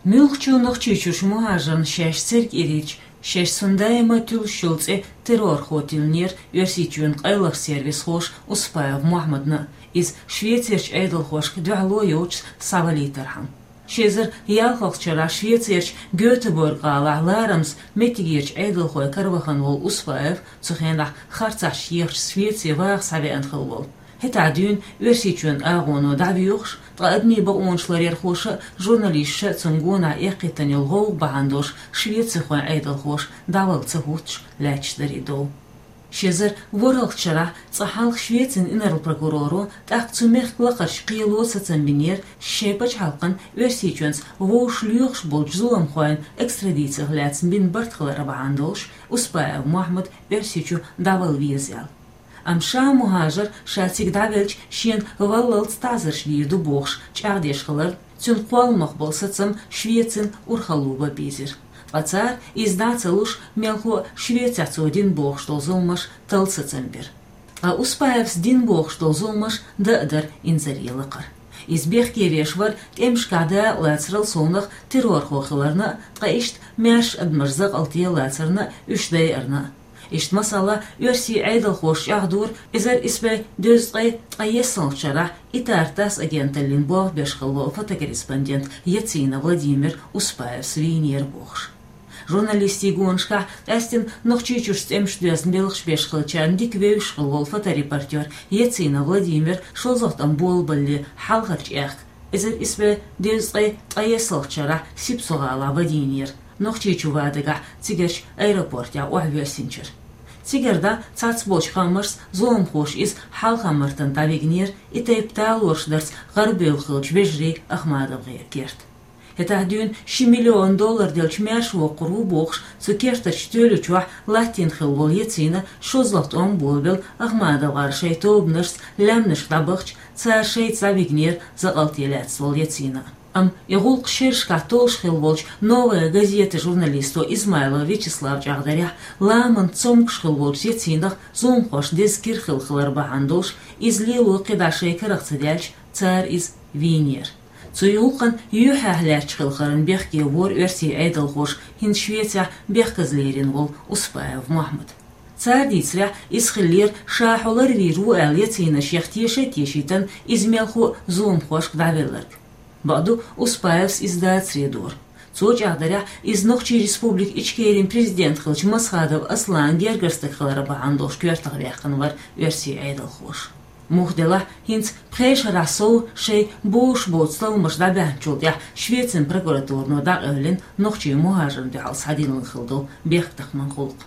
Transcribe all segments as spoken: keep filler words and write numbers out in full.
Муьлххачу Нохчийчуьрчу мухӀажарна шаьш церг ирийча, шаьш цунна даима туьллуш йолу цӀе террорхо тиллинера Оьрсийчоьнан къайлахчу сервисхоша Успаев Мохьмадна, иза Швецерчу Ӏедалхошка дуьхьало йоцуш схьавалийтархьама. Ши эзар ялхалгӀачу шарахь Швецерчу Гётеборг-гӀалахь ларамаза меттигерчу Ӏедалхойн каравахана волу Успаев, цу хенахь харцахьчу ехачу Швеце ваха схьавеана хилла волу. ХӀетахь дуьйна Оьрсийчоьнан агӀоно дӀавоьхуш, ткъа адамийн бакъонаш ларъярхоша а, журналисташа а цунна гонах эккхийтина йолу гӀовгӀа бахьана долуш швецихойн Ӏедалхоша дӀавала ца хӀуттуш лаьтташ дара и дов. Ши эзар ворхӀалгӀачу шарахь цкъа хьалха Швецин инарла прокуроро, тӀаккха цу мехкан лакхарчу кхело сацам бинера шайн пачхьалкхана Оьрсийчоьнца вовшах лоьхуш болчу зуламхойн экстрадицих лаьцна бина барт хилар бахьана долуш Успаев Мохьмад Оьрсийчу дӀавала веза аьлла. Амма ша мухӀажар ша цига дӀавелча шена валлалц таӀзарш дийр ду бохуш чӀагӀдеш хиларна, цуьнан кхолламах болу сацам Швецина урхалло бан бийзира. Ткъа цара, иза дӀа а ца луш, мелхо а Швецехь цо дина бохуш долу зуламаш талла сацам бира. Ткъа Успаевс дина бохуш долу зуламаш дан а дара инзаре лакхара. Иза бехке веш вара тӀемашкахь дакъалацарал совнах террорхо хиларна а, ткъа иштта маьрша адамаш закъалте лацарна а, уьш дайарна а. Иштта, масала, оьрсийн Ӏедалхоша чӀагӀдора, эзар исс бӀе дезткъе ткъаесналгӀачу шарахь Итар-ТАСС агенталлин болх беш хилла волу фотокорреспондент Яцина Владимир Успаевс вийнера бохуш. Журналистийн гонашкахь, къаьсттина Нохчийчуьрчу тӀемаш доьзна белхаш беш хиллачарна дика вевзаш хилла волу фоторепортёр Яцина Владимир шолгӀа тӀом болабалале хьалхарчу аьхка, эзар исс бӀе дезткъе ткъаесналгӀачу шарахь Сипсо-гӀалахь вадийнера, Нохчийчу ван дагахь цигарчу аэропортехь охьавоьссинчуьра. Цигара дӀа цхьацца болчу хаамашца зуламхоша иза Хьалха-Мартан дӀавигнера, и тайпа талораш дарца гӀарабевлла хиллачу вежарий АхмадовгӀеран керта. ХӀетахь дуьйна ши миллион доллар делча маьрша воккхур ву бохуш, цу кертарчу тоьлачохь латтийна хилла волу Яцина шолгӀа тӀом болабелла АхмадовгӀар шайн тобанашца лаьмнашка дӀабахча, цара шайца дӀавигнера закъалте лаьцна волу Яцина. Амма и гӀуллакх шерашкахь толлуш хилла волчу «Новая газета» журналисто Измайлов Вячеслава чӀагӀдарехь, ламанца цомгуш хилла волчу Яцинах зуламхошна деза кира хилла хилар бахьана долуш, иза лело кхидӀа шайн карах ца даьлча, цара иза вийнера. Цу гӀуллакхана юьхьӀаьхьа лаьтташ хилла хиларна бехке вора оьрсийн Ӏедалхоша хӀинца Швецехь бехказа лерина волу Успаев Мохьмад. Цара дийцарехь, иза хиллера, ша хьо ларвийр ву аьлла, Яцина шех теша а тешийтина, иза мелхо а зуламхошка дӀавелларг. Бакъду, Успаевс иза дацаре дора. Цо чӀагӀдарехь, иза Нохчийн Республика Ичкерин президент хиллачу Масхадов Асланан гергара стаг хилар бахьана долуш коьртах ваьккхина вара оьрсийн Ӏедалхоша. Муха делахь, хӀинца пхи шарахь сов шайн бовш боцу талламаш дӀабаьхьначул тӀаьхьа Швецин прокуратурано дӀакъевлина нохчийн мухӀажарна дуьхьал схьадиллина хилла долу бехктакхаман гӀуллакх.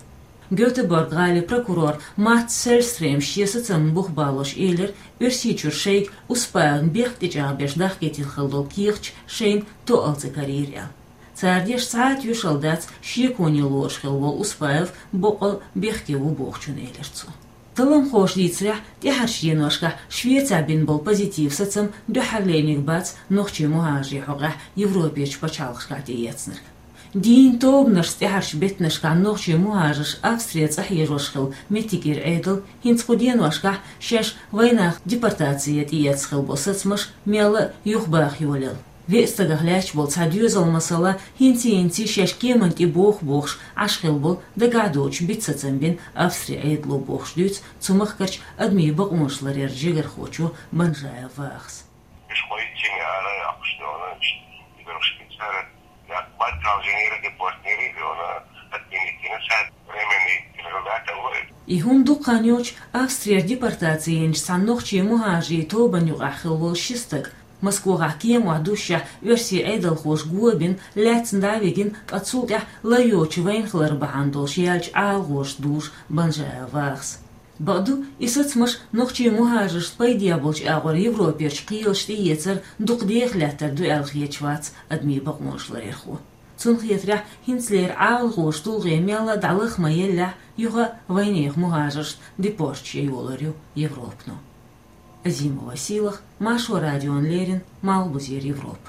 Гётеборг-гӀалин прокурор Матс Селлстрём шен сацамна бух балош элира, Оьрсийчуьра шайга Успаевна бехк тӀечӀагӀбеш дахкийтина хилла долу кехаташ шайна тоъал ца карийра аьлла. Цара деш цхьа а тоьшалла дац шеконе лоруш хилла волу Успаев боккъал бехке ву бохучун, элира цо. Талламхоша дийцарехь, тӀаьхьарчу деношкахь Швецехь бина болу позитив сацам дуьххьарлерниг бац нохчийн мухӀажарийн хьокъехь Европерчу пачхьалкхашкахь тӀеэцнарг. Дийна тобанашца тӀаьхьарчу беттанашкахь нохчийн мухӀажарш Австре цӀа хьежош хилла меттигера Ӏедал хӀинца кху деношкахь шаьш вайнах депортаци тӀеэцна хилла болу сацамаш мелла а юхабаха йолаелла. Веа стагах лаьтташ болу цхьа доьзал, масала, хӀинций-хӀинций шаьш кеманна тӀе боху бохуш Ӏаш хилла болу дагахь доцуш бита сацам бина Австри Ӏедало бохуш дуьйцу цу махкарчу адамийн бакъонаш ларъяран жигархочо Банжаев Вахас. Уьш кхойтта шина ара йоккхуш долу, уьш дерхаш бицара, я баттал жинера депортнери долу, отменить йина сад временный результат а вой. И хӀума дукха хан йоцуш Австрера депортаци йинчу цхьана нохчийн мухӀажарийн тобанна юкъахь хилла волу ши стаг, Москвахь кеманна душшехь оьрсийн Ӏедалхоша го бина, лаьцна дӀа а вигина, ткъа цул тӀаьхьа лар йоцуш вайна хилар бахьана долуш яьллачу ӀалагӀошца дужу Банжаев Вахас. Бакъду, и сацамаш нохчийн мухӀажаршна пайде болчу агӀор Европерчу кхелаша тӀеэцар дукха деха лаьттар ду аьлла хеташ вац адамийн бакъонаш ларъярхо. Цунна хетарехь, хӀинцалера ӀалагӀоша тулгӀе мелла а дӀалаха ма еллехь, юха а вайнехан мухӀажаршна депорташ ян йолор ю Европано. Азимова Сийлаха, Маршо радиона леррина, Малхбузера Европа.